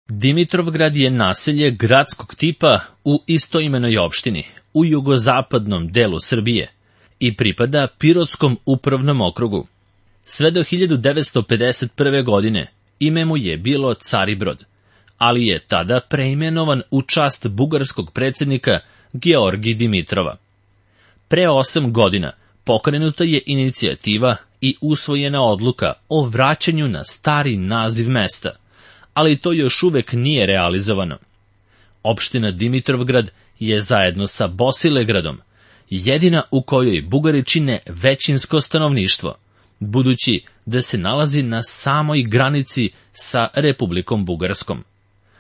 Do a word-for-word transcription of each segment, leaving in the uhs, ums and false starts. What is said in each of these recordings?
Dimitrovgrad je naselje gradskog tipa u istoimenoj opštini, u jugozapadnom delu Srbije i pripada Pirotskom upravnom okrugu. Sve do hiljadu devetsto pedeset prve. godine ime mu je bilo Caribrod, ali je tada preimenovan u čast bugarskog predsjednika Georgij Dimitrova. Pre osam godina pokrenuta je inicijativa i usvojena odluka o vraćanju na stari naziv mesta, ali to još uvek nije realizovano. Opština Dimitrovgrad je zajedno sa Bosilegradom jedina u kojoj Bugari čine većinsko stanovništvo, budući da se nalazi na samoj granici sa Republikom Bugarskom.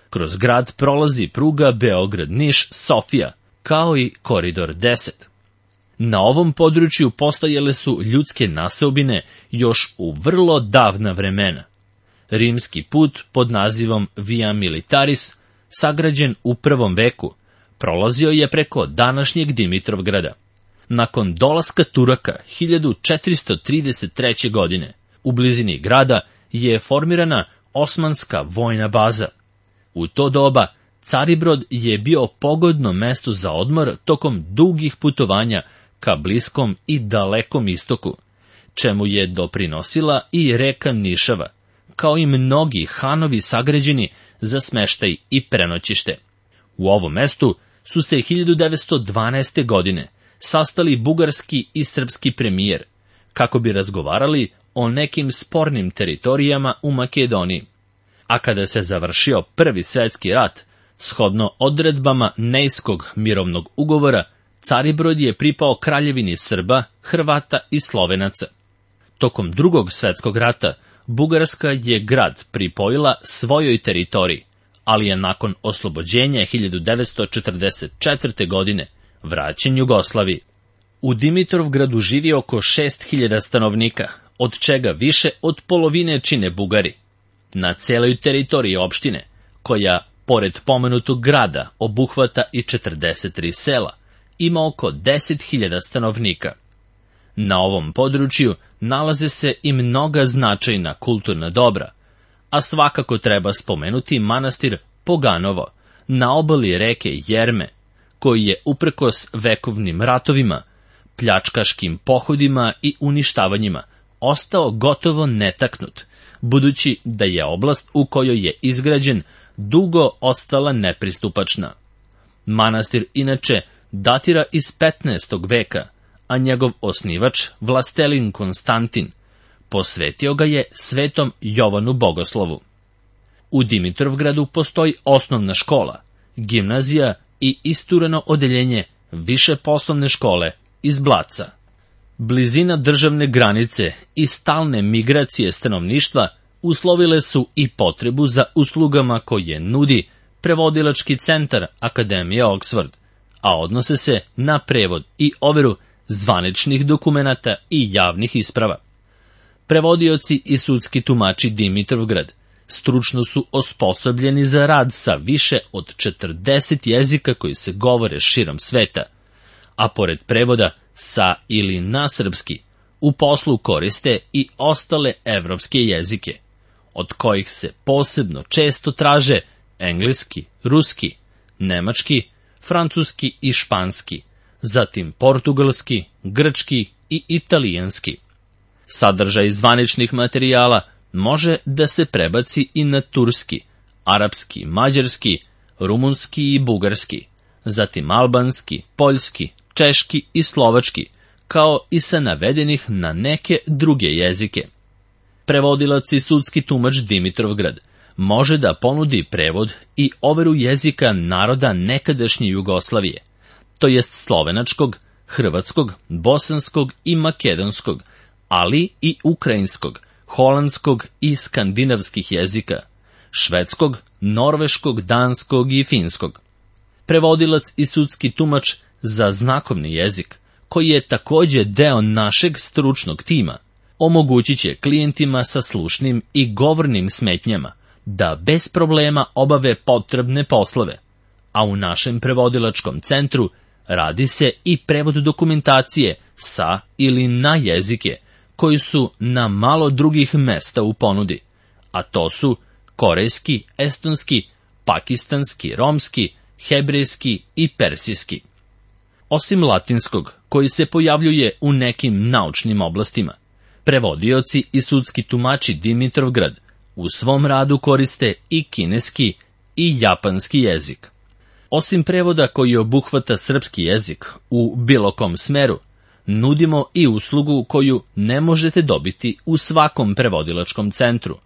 Kroz grad prolazi pruga Beograd-Niš-Sofija, kao i Koridor deset. Na ovom području postojale su ljudske naseobine još u vrlo davna vremena. Rimski put pod nazivom Via Militaris, sagrađen u prvom veku, prolazio je preko današnjeg Dimitrovgrada. Nakon dolaska Turaka hiljadu četiristo trideset treće. godine u blizini grada je formirana osmanska vojna baza. U to doba Caribrod je bio pogodno mesto za odmor tokom dugih putovanja ka Bliskom i Dalekom istoku, čemu je doprinosila i reka Nišava, kao i mnogi hanovi sagrađeni za smeštaj i prenoćište. U ovom mestu su se hiljadu devetsto dvanaeste. godine sastali bugarski i srpski premijer, kako bi razgovarali o nekim spornim teritorijama u Makedoniji. A kada se završio Prvi svjetski rat, shodno odredbama Nejskog mirovnog ugovora, Caribrod je pripao kraljevini Srba, Hrvata i Slovenaca. Tokom Drugog svjetskog rata Bugarska je grad pripojila svojoj teritoriji, ali je nakon oslobođenja hiljadu devetsto četrdeset četvrte. godine vraćen Jugoslaviji. U Dimitrovgradu živi oko šest hiljada stanovnika, od čega više od polovine čine Bugari. Na celoj teritoriji opštine, koja, pored pomenutog grada, obuhvata i četrdeset tri sela, ima oko deset hiljada stanovnika. Na ovom području nalaze se i mnoga značajna kulturna dobra, a svakako treba spomenuti manastir Poganovo na obali reke Jerme, koji je uprkos vekovnim ratovima, pljačkaškim pohodima i uništavanjima ostao gotovo netaknut, budući da je oblast u kojoj je izgrađen dugo ostala nepristupačna. Manastir inače datira iz petnaestog. veka, a njegov osnivač, vlastelin Konstantin, posvetio ga je svetom Jovanu Bogoslovu. U Dimitrovgradu postoji osnovna škola, gimnazija i istureno odeljenje više poslovne škole iz Blaca. Blizina državne granice i stalne migracije stanovništva uslovile su i potrebu za uslugama koje nudi prevodilački centar Akademije Oxford, a odnose se na prevod i overu zvaničnih dokumenata i javnih isprava. Prevodioci i sudski tumači Dimitrovgrad stručno su osposobljeni za rad sa više od četrdeset jezika koji se govore širom sveta, a pored prevoda sa ili na srpski, u poslu koriste i ostale evropske jezike, od kojih se posebno često traže engleski, ruski, nemački, francuski i španski, zatim portugalski, grčki i italijanski. Sadržaj zvaničnih materijala može da se prebaci i na turski, arapski, mađarski, rumunski i bugarski, zatim albanski, poljski, češki i slovački, kao i sa navedenih na neke druge jezike. Prevodilac i sudski tumač Dimitrovgrad može da ponudi prevod i overu jezika naroda nekadašnje Jugoslavije, to jest slovenačkog, hrvatskog, bosanskog i makedonskog, ali i ukrajinskog, holandskog i skandinavskih jezika, švedskog, norveškog, danskog i finskog. Prevodilac i sudski tumač za znakovni jezik, koji je također deo našeg stručnog tima, omogućit će klijentima sa slušnim i govornim smetnjama da bez problema obave potrebne poslove, a u našem prevodilačkom centru radi se i prevod dokumentacije sa ili na jezike koji su na malo drugih mesta u ponudi, a to su korejski, estonski, pakistanski, romski, hebrejski i persijski. Osim latinskog, koji se pojavljuje u nekim naučnim oblastima, prevodioci i sudski tumači Dimitrovgrad u svom radu koriste i kineski i japanski jezik. Osim prevoda koji obuhvata srpski jezik u bilo kom smeru, nudimo i uslugu koju ne možete dobiti u svakom prevodilačkom centru,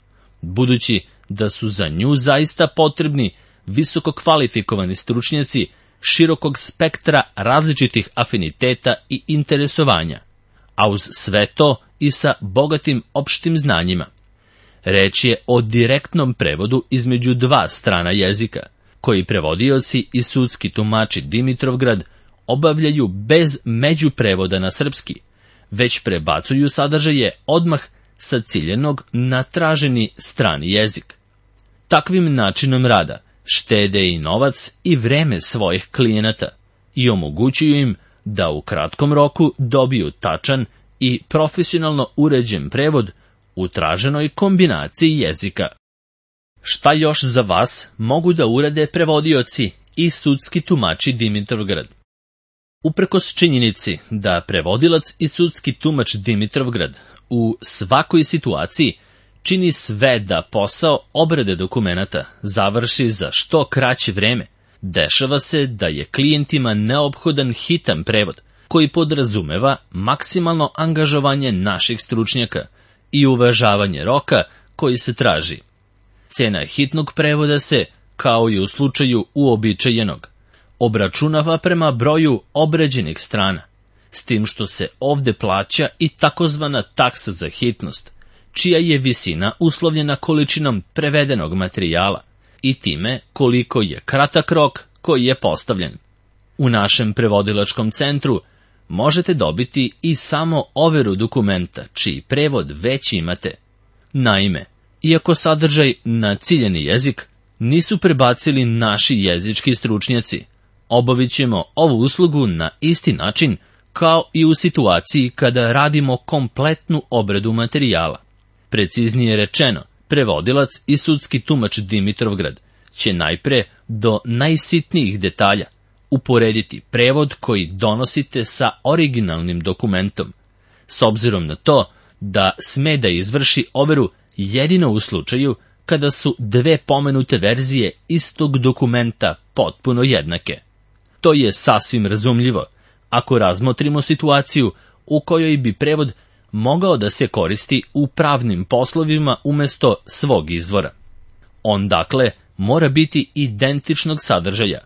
budući da su za nju zaista potrebni visoko kvalifikovani stručnjaci širokog spektra različitih afiniteta i interesovanja, a uz sve to i sa bogatim opštim znanjima. Reč je o direktnom prevodu između dva strana jezika, koji prevodioci i sudski tumači Dimitrovgrad obavljaju bez međuprevoda na srpski, već prebacuju sadržaje odmah sa ciljenog na traženi strani jezik. Takvim načinom rada štede i novac i vreme svojih klijenata i omogućuju im da u kratkom roku dobiju tačan i profesionalno uređen prevod u traženoj kombinaciji jezika. Šta još za vas mogu da urade prevodioci i sudski tumači Dimitrovgrad? Uprkos činjenici da prevodilac i sudski tumač Dimitrovgrad u svakoj situaciji čini sve da posao obrade dokumenata završi za što kraće vreme, dešava se da je klijentima neophodan hitan prevod koji podrazumeva maksimalno angažovanje naših stručnjaka i uvažavanje roka koji se traži. Cena hitnog prevoda se, kao i u slučaju uobičajenog, obračunava prema broju obrađenih strana, s tim što se ovde plaća i takozvana taksa za hitnost, čija je visina uslovljena količinom prevedenog materijala i time koliko je kratak rok koji je postavljen. U našem prevodilačkom centru možete dobiti i samo overu dokumenta čiji prevod već imate. Naime, iako sadržaj na ciljeni jezik nisu prebacili naši jezički stručnjaci, obavit ćemo ovu uslugu na isti način kao i u situaciji kada radimo kompletnu obradu materijala. Preciznije rečeno, prevodilac i sudski tumač Dimitrovgrad će najpre do najsitnijih detalja uporediti prevod koji donosite sa originalnim dokumentom, s obzirom na to da sme da izvrši overu jedino u slučaju kada su dve pomenute verzije istog dokumenta potpuno jednake. To je sasvim razumljivo ako razmotrimo situaciju u kojoj bi prevod mogao da se koristi u pravnim poslovima umesto svog izvora. On dakle mora biti identičnog sadržaja,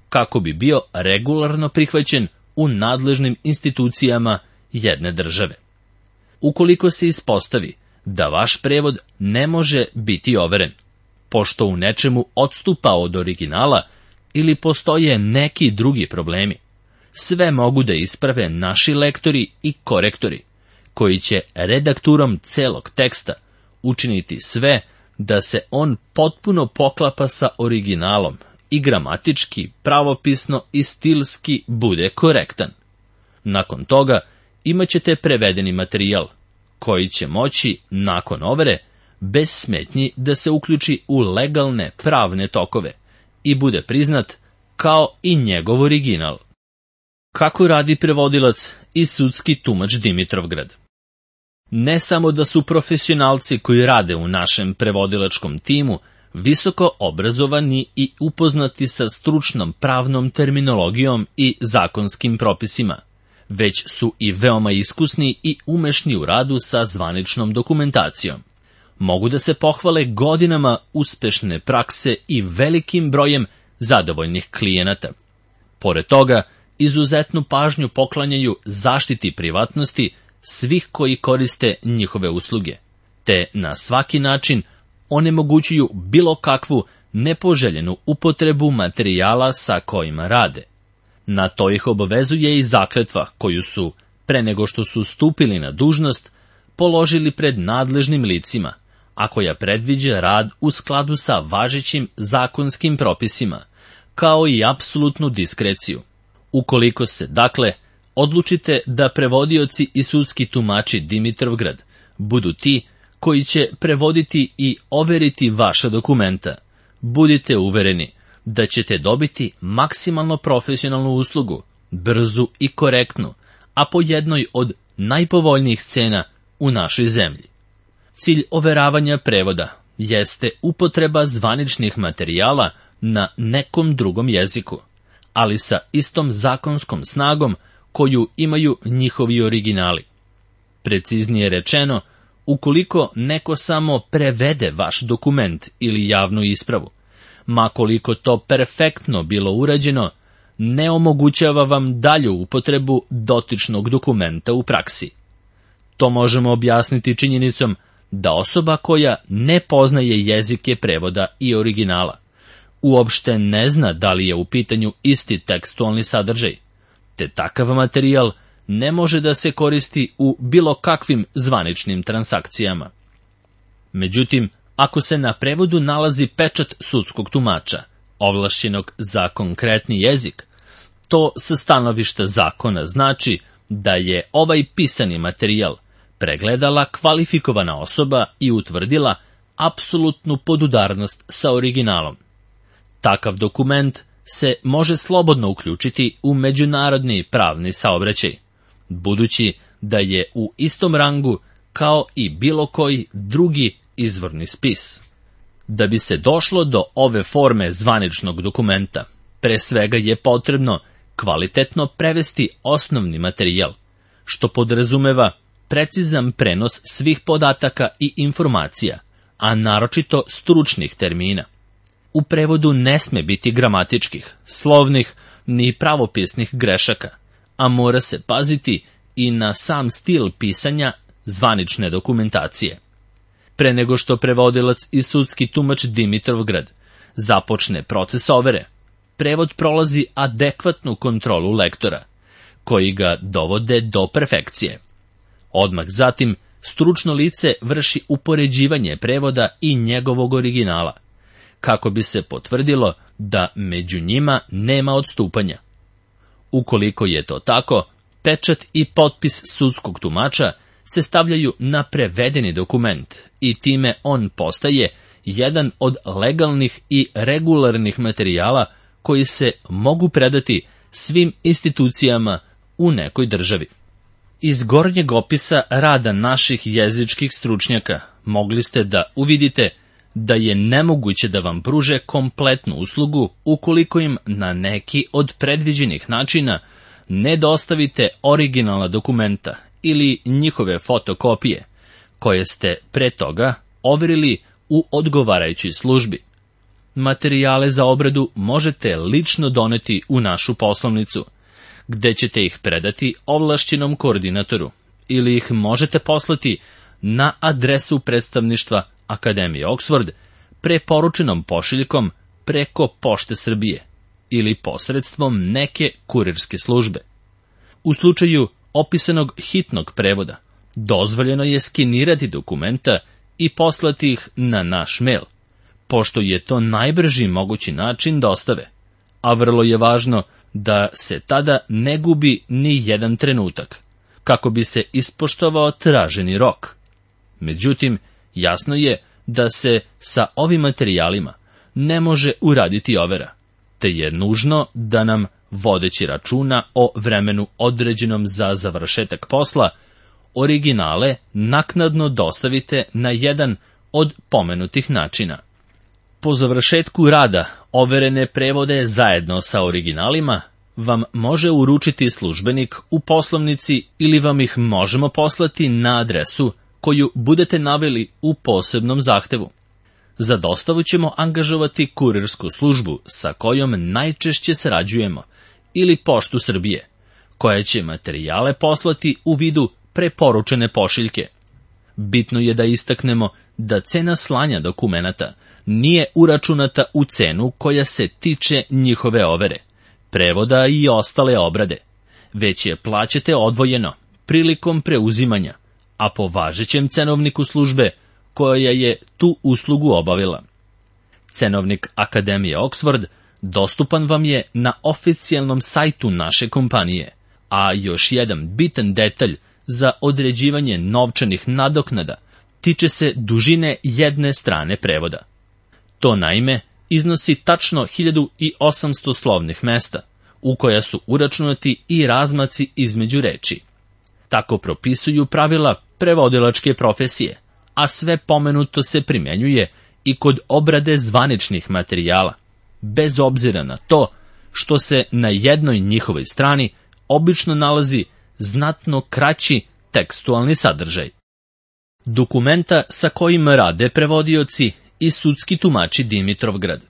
kako bi bio regularno prihvaćen u nadležnim institucijama jedne države. Ukoliko se ispostavi da vaš prevod ne može biti overen, pošto u nečemu odstupa od originala ili postoje neki drugi problemi, sve mogu da isprave naši lektori i korektori, koji će redakturom celog teksta učiniti sve da se on potpuno poklapa sa originalom i gramatički, pravopisno i stilski bude korektan. Nakon toga imat ćete prevedeni materijal, koji će moći, nakon overe, bez smetnji da se uključi u legalne pravne tokove i bude priznat kao i njegov original. Kako radi prevodilac i sudski tumač Dimitrovgrad? Ne samo da su profesionalci koji rade u našem prevodilačkom timu visoko obrazovani i upoznati sa stručnom pravnom terminologijom i zakonskim propisima, već su i veoma iskusni i umešni u radu sa zvaničnom dokumentacijom. Mogu da se pohvale godinama uspešne prakse i velikim brojem zadovoljnih klijenata. Pored toga, izuzetnu pažnju poklanjaju zaštiti privatnosti svih koji koriste njihove usluge, te na svaki način onemogućuju bilo kakvu nepoželjenu upotrebu materijala sa kojima rade. Na to ih obavezuje i zakletva koju su, pre nego što su stupili na dužnost, položili pred nadležnim licima, a koja predviđa rad u skladu sa važećim zakonskim propisima, kao i apsolutnu diskreciju. Ukoliko se, dakle, odlučite da prevodioci i sudski tumači Dimitrovgrad budu ti koji će prevoditi i overiti vaša dokumenta, budite uvereni da ćete dobiti maksimalno profesionalnu uslugu, brzu i korektnu, a po jednoj od najpovoljnijih cena u našoj zemlji. Cilj overavanja prevoda jeste upotreba zvaničnih materijala na nekom drugom jeziku, ali sa istom zakonskom snagom koju imaju njihovi originali. Preciznije rečeno, ukoliko neko samo prevede vaš dokument ili javnu ispravu, ma koliko to perfektno bilo urađeno, ne omogućava vam dalju upotrebu dotičnog dokumenta u praksi. To možemo objasniti činjenicom da osoba koja ne poznaje jezike prevoda i originala uopšte ne zna da li je u pitanju isti tekstualni sadržaj, te takav materijal ne može da se koristi u bilo kakvim zvaničnim transakcijama. Međutim, ako se na prevodu nalazi pečat sudskog tumača, ovlašćenog za konkretni jezik, to sa stanovišta zakona znači da je ovaj pisani materijal pregledala kvalifikovana osoba i utvrdila apsolutnu podudarnost sa originalom. Takav dokument se može slobodno uključiti u međunarodni pravni saobraćaj, budući da je u istom rangu kao i bilo koji drugi izvorni spis. Da bi se došlo do ove forme zvaničnog dokumenta, pre svega je potrebno kvalitetno prevesti osnovni materijal, što podrazumeva precizan prenos svih podataka i informacija, a naročito stručnih termina. U prevodu ne sme biti gramatičkih, slovnih ni pravopisnih grešaka, a mora se paziti i na sam stil pisanja zvanične dokumentacije. Pre nego što prevodilac i sudski tumač Dimitrovgrad započne proces overe, prevod prolazi adekvatnu kontrolu lektora, koji ga dovode do perfekcije. Odmah zatim, stručno lice vrši upoređivanje prevoda i njegovog originala, kako bi se potvrdilo da među njima nema odstupanja. Ukoliko je to tako, pečat i potpis sudskog tumača se stavljaju na prevedeni dokument i time on postaje jedan od legalnih i regularnih materijala koji se mogu predati svim institucijama u nekoj državi. Iz gornjeg opisa rada naših jezičkih stručnjaka mogli ste da uvidite da je nemoguće da vam pruže kompletnu uslugu ukoliko im na neki od predviđenih načina ne dostavite originalna dokumenta ili njihove fotokopije, koje ste pre toga overili u odgovarajućoj službi. Materijale za obradu možete lično doneti u našu poslovnicu, gde ćete ih predati ovlašćenom koordinatoru, ili ih možete poslati na adresu predstavništva Akademije Oxford preporučenom pošiljkom preko Pošte Srbije ili posredstvom neke kurirske službe. U slučaju opisanog hitnog prevoda, dozvoljeno je skenirati dokumenta i poslati ih na naš mail, pošto je to najbrži mogući način dostave, a vrlo je važno da se tada ne gubi ni jedan trenutak, kako bi se ispoštovao traženi rok. Međutim, jasno je da se sa ovim materijalima ne može uraditi overa, te je nužno da nam, vodeći računa o vremenu određenom za završetak posla, originale naknadno dostavite na jedan od pomenutih načina. Po završetku rada overene prevode zajedno sa originalima vam može uručiti službenik u poslovnici ili vam ih možemo poslati na adresu koju budete naveli u posebnom zahtevu. Za dostavu ćemo angažovati kurirsku službu sa kojom najčešće sarađujemo, ili Poštu Srbije, koja će materijale poslati u vidu preporučene pošiljke. Bitno je da istaknemo da cena slanja dokumenata nije uračunata u cenu koja se tiče njihove overe, prevoda i ostale obrade, već je plaćate odvojeno prilikom preuzimanja, a po važećem cenovniku službe koja je tu uslugu obavila. Cenovnik Akademije Oxford dostupan vam je na oficijalnom sajtu naše kompanije, a još jedan bitan detalj za određivanje novčanih nadoknada tiče se dužine jedne strane prevoda. To naime iznosi tačno hiljadu osamsto slovnih mesta, u koja su uračunati i razmaci između reči. Tako propisuju pravila prevodilačke profesije, a sve pomenuto se primjenjuje i kod obrade zvaničnih materijala, bez obzira na to što se na jednoj njihovoj strani obično nalazi znatno kraći tekstualni sadržaj. Dokumenta sa kojima rade prevodioci i sudski tumači Dimitrovgrad.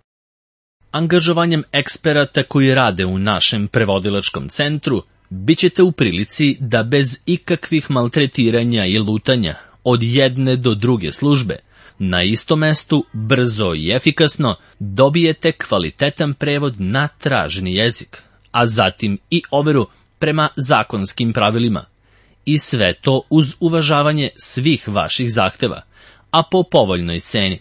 Angažovanjem eksperata koji rade u našem prevodilačkom centru, bit ćete u prilici da bez ikakvih maltretiranja i lutanja od jedne do druge službe, na istom mestu, brzo i efikasno, dobijete kvalitetan prevod na traženi jezik, a zatim i overu prema zakonskim pravilima. I sve to uz uvažavanje svih vaših zahteva, a po povoljnoj ceni.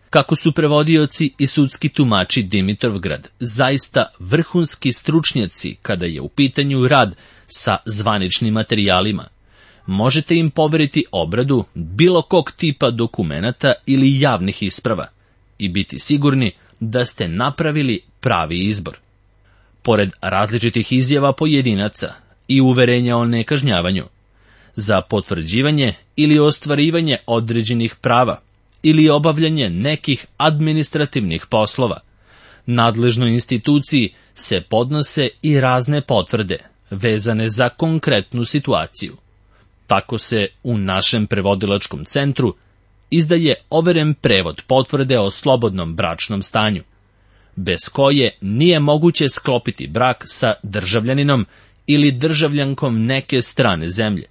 Kako su prevodioci i sudski tumači Dimitrovgrad zaista vrhunski stručnjaci kada je u pitanju rad sa zvaničnim materijalima, možete im poveriti obradu bilo kog tipa dokumenata ili javnih isprava i biti sigurni da ste napravili pravi izbor. Pored različitih izjava pojedinaca i uverenja o nekažnjavanju, za potvrđivanje ili ostvarivanje određenih prava ili obavljanje nekih administrativnih poslova, nadležnoj instituciji se podnose i razne potvrde vezane za konkretnu situaciju. Tako se u našem prevodilačkom centru izdaje overen prevod potvrde o slobodnom bračnom stanju, bez koje nije moguće sklopiti brak sa državljaninom ili državljankom neke strane zemlje,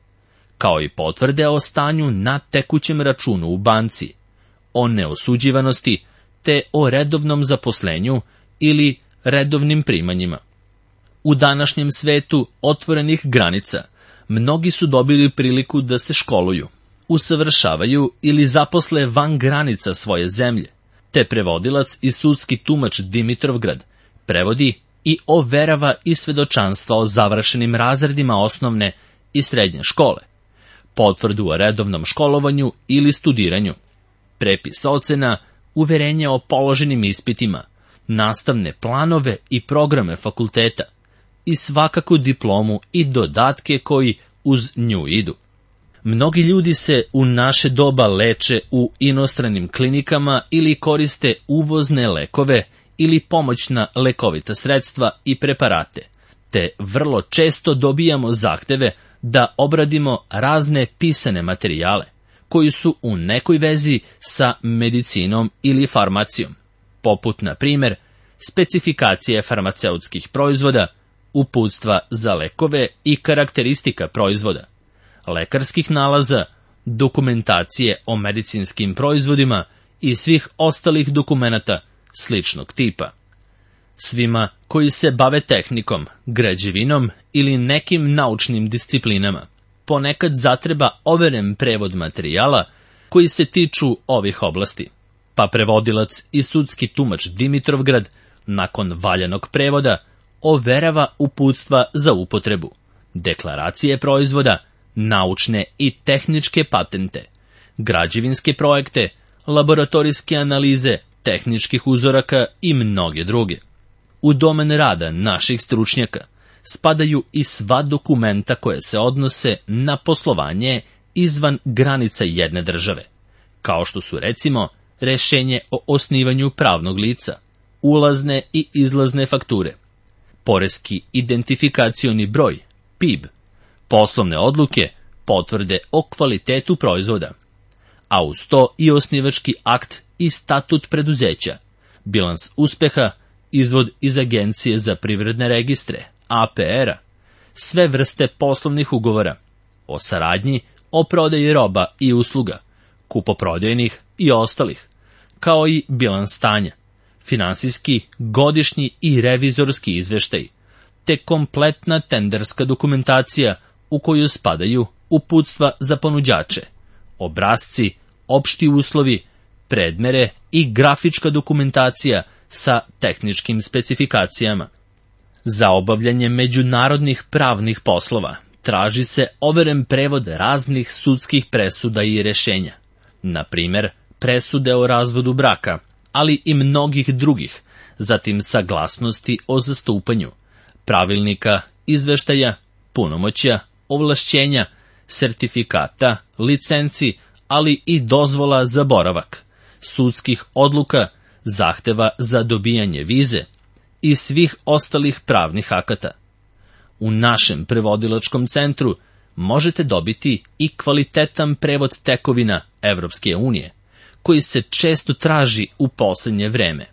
kao i potvrde o stanju na tekućem računu u banci, o neosuđivanosti te o redovnom zaposlenju ili redovnim primanjima. U današnjem svetu otvorenih granica, mnogi su dobili priliku da se školuju, usavršavaju ili zaposle van granica svoje zemlje, te prevodilac i sudski tumač Dimitrovgrad prevodi i overava i svedočanstva o završenim razredima osnovne i srednje škole, potvrdu o redovnom školovanju ili studiranju, prepis ocena, uverenje o položenim ispitima, nastavne planove i programe fakulteta i svakako diplomu i dodatke koji uz nju idu. Mnogi ljudi se u naše doba leče u inostranim klinikama ili koriste uvozne lekove ili pomoćna lekovita sredstva i preparate, te vrlo često dobijamo zahteve da obradimo razne pisane materijale, koji su u nekoj vezi sa medicinom ili farmacijom, poput, na primjer, specifikacije farmaceutskih proizvoda, uputstva za lekove i karakteristika proizvoda, lekarskih nalaza, dokumentacije o medicinskim proizvodima i svih ostalih dokumenata sličnog tipa. Svima koji se bave tehnikom, građevinom ili nekim naučnim disciplinama, ponekad zatreba overen prevod materijala koji se tiču ovih oblasti, pa prevodilac i sudski tumač Dimitrovgrad, nakon valjanog prevoda, overava uputstva za upotrebu, deklaracije proizvoda, naučne i tehničke patente, građevinske projekte, laboratorijske analize, tehničkih uzoraka i mnoge druge. U domen rada naših stručnjaka spadaju i sva dokumenta koje se odnose na poslovanje izvan granica jedne države, kao što su recimo rešenje o osnivanju pravnog lica, ulazne i izlazne fakture, poreski identifikacioni broj, P I B, poslovne odluke, potvrde o kvalitetu proizvoda, a uz to i osnivački akt i statut preduzeća, bilans uspeha, izvod iz Agencije za privredne registre, A P R-a, sve vrste poslovnih ugovora, o saradnji, o prodaji roba i usluga, kupoprodajnih i ostalih, kao i bilans stanja, finansijski, godišnji i revizorski izveštaj, te kompletna tenderska dokumentacija u koju spadaju uputstva za ponuđače, obrasci, opšti uslovi, predmere i grafička dokumentacija sa tehničkim specifikacijama. Za obavljanje međunarodnih pravnih poslova traži se overen prevod raznih sudskih presuda i rešenja, na primjer presude o razvodu braka, ali i mnogih drugih, zatim saglasnosti o zastupanju, pravilnika, izveštaja, punomoćja, ovlašćenja, sertifikata, licenci, ali i dozvola za boravak, sudskih odluka, zahteva za dobijanje vize i svih ostalih pravnih akata. U našem prevodilačkom centru možete dobiti i kvalitetan prevod tekovina Evropske unije, koji se često traži u poslednje vreme.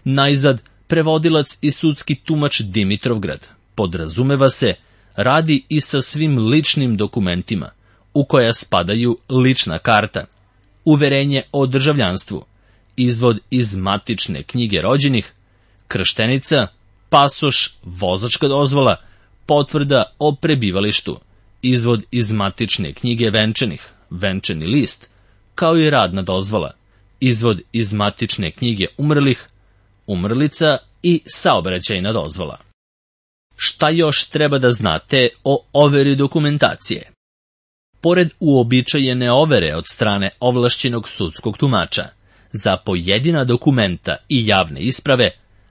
Najzad, prevodilac i sudski tumač Dimitrovgrad, podrazumeva se, radi i sa svim ličnim dokumentima, u koja spadaju lična karta, uverenje o državljanstvu, izvod iz matične knjige rođenih, krštenica, pasoš, vozačka dozvola, potvrda o prebivalištu, izvod iz matične knjige venčanih, venčani list, kao i radna dozvola, izvod iz matične knjige umrlih, umrlica i saobraćajna dozvola. Šta još treba da znate o overi dokumentacije? Pored uobičajene overe od strane ovlašćenog sudskog tumača, za pojedina dokumenta i javne isprave,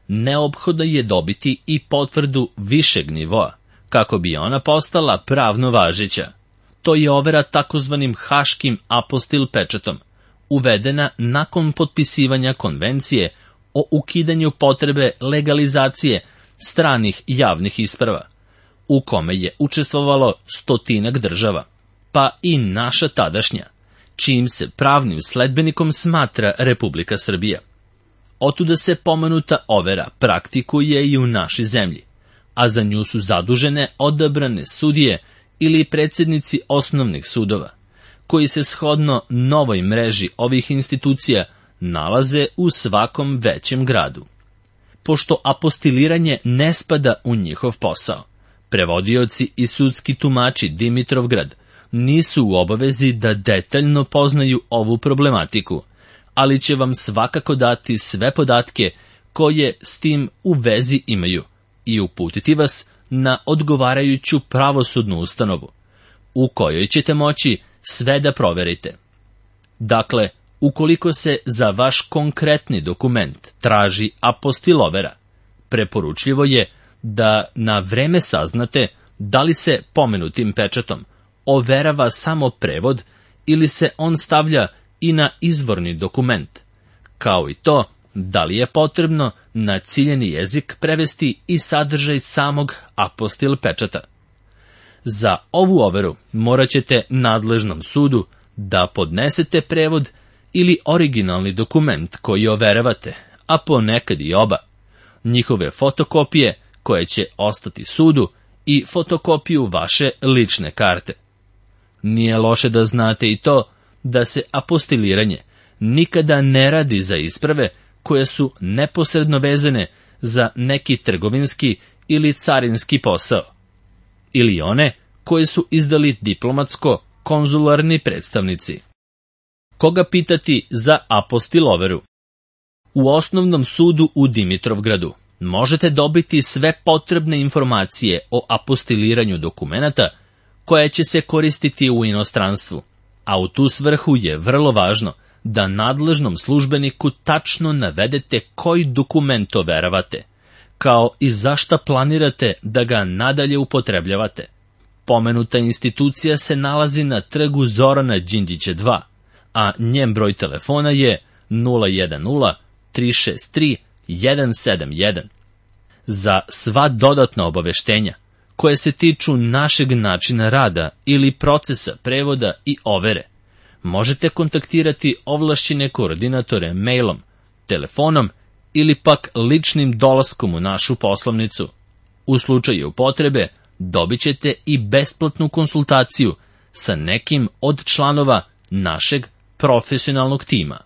neophodno je dobiti i potvrdu višeg nivoa, kako bi ona postala pravno važeća. To je overa takozvanim haškim apostil pečatom, uvedena nakon potpisivanja konvencije o ukidanju potrebe legalizacije stranih javnih isprava, u kome je učestvovalo stotinak država, pa i naša tadašnja, čijim se pravnim sledbenikom smatra Republika Srbija. Otuda se pomenuta overa praktikuje i u našoj zemlji, a za nju su zadužene odabrane sudije ili predsjednici osnovnih sudova, koji se shodno novoj mreži ovih institucija nalaze u svakom većem gradu. Pošto apostiliranje ne spada u njihov posao, prevodioci i sudski tumači Dimitrovgrad nisu u obavezi da detaljno poznaju ovu problematiku, ali će vam svakako dati sve podatke koje s tim u vezi imaju i uputiti vas na odgovarajuću pravosudnu ustanovu, u kojoj ćete moći sve da proverite. Dakle, ukoliko se za vaš konkretni dokument traži apostilovera, preporučljivo je da na vreme saznate da li se pomenutim pečatom overava samo prevod ili se on stavlja i na izvorni dokument, kao i to da li je potrebno na ciljeni jezik prevesti i sadržaj samog apostil pečata. Za ovu overu morat ćete nadležnom sudu da podnesete prevod ili originalni dokument koji overavate, a ponekad i oba, njihove fotokopije koje će ostati sudu i fotokopiju vaše lične karte. Nije loše da znate i to da se apostiliranje nikada ne radi za isprave koje su neposredno vezane za neki trgovinski ili carinski posao, ili one koje su izdali diplomatsko-konzularni predstavnici. Koga pitati za apostiloveru? U osnovnom sudu u Dimitrovgradu možete dobiti sve potrebne informacije o apostiliranju dokumenata koje će se koristiti u inostranstvu, a u tu svrhu je vrlo važno da nadležnom službeniku tačno navedete koji dokument overavate, kao i zašta planirate da ga nadalje upotrebljavate. Pomenuta institucija se nalazi na trgu Zorana Đinđića dva, a njen broj telefona je nula jedan nula tri šest tri jedan sedam jedan. Za sva dodatna obaveštenja koje se tiču našeg načina rada ili procesa prevoda i overe, možete kontaktirati ovlašćene koordinatore mailom, telefonom ili pak ličnim dolaskom u našu poslovnicu. U slučaju potrebe dobit ćete i besplatnu konsultaciju sa nekim od članova našeg profesionalnog tima.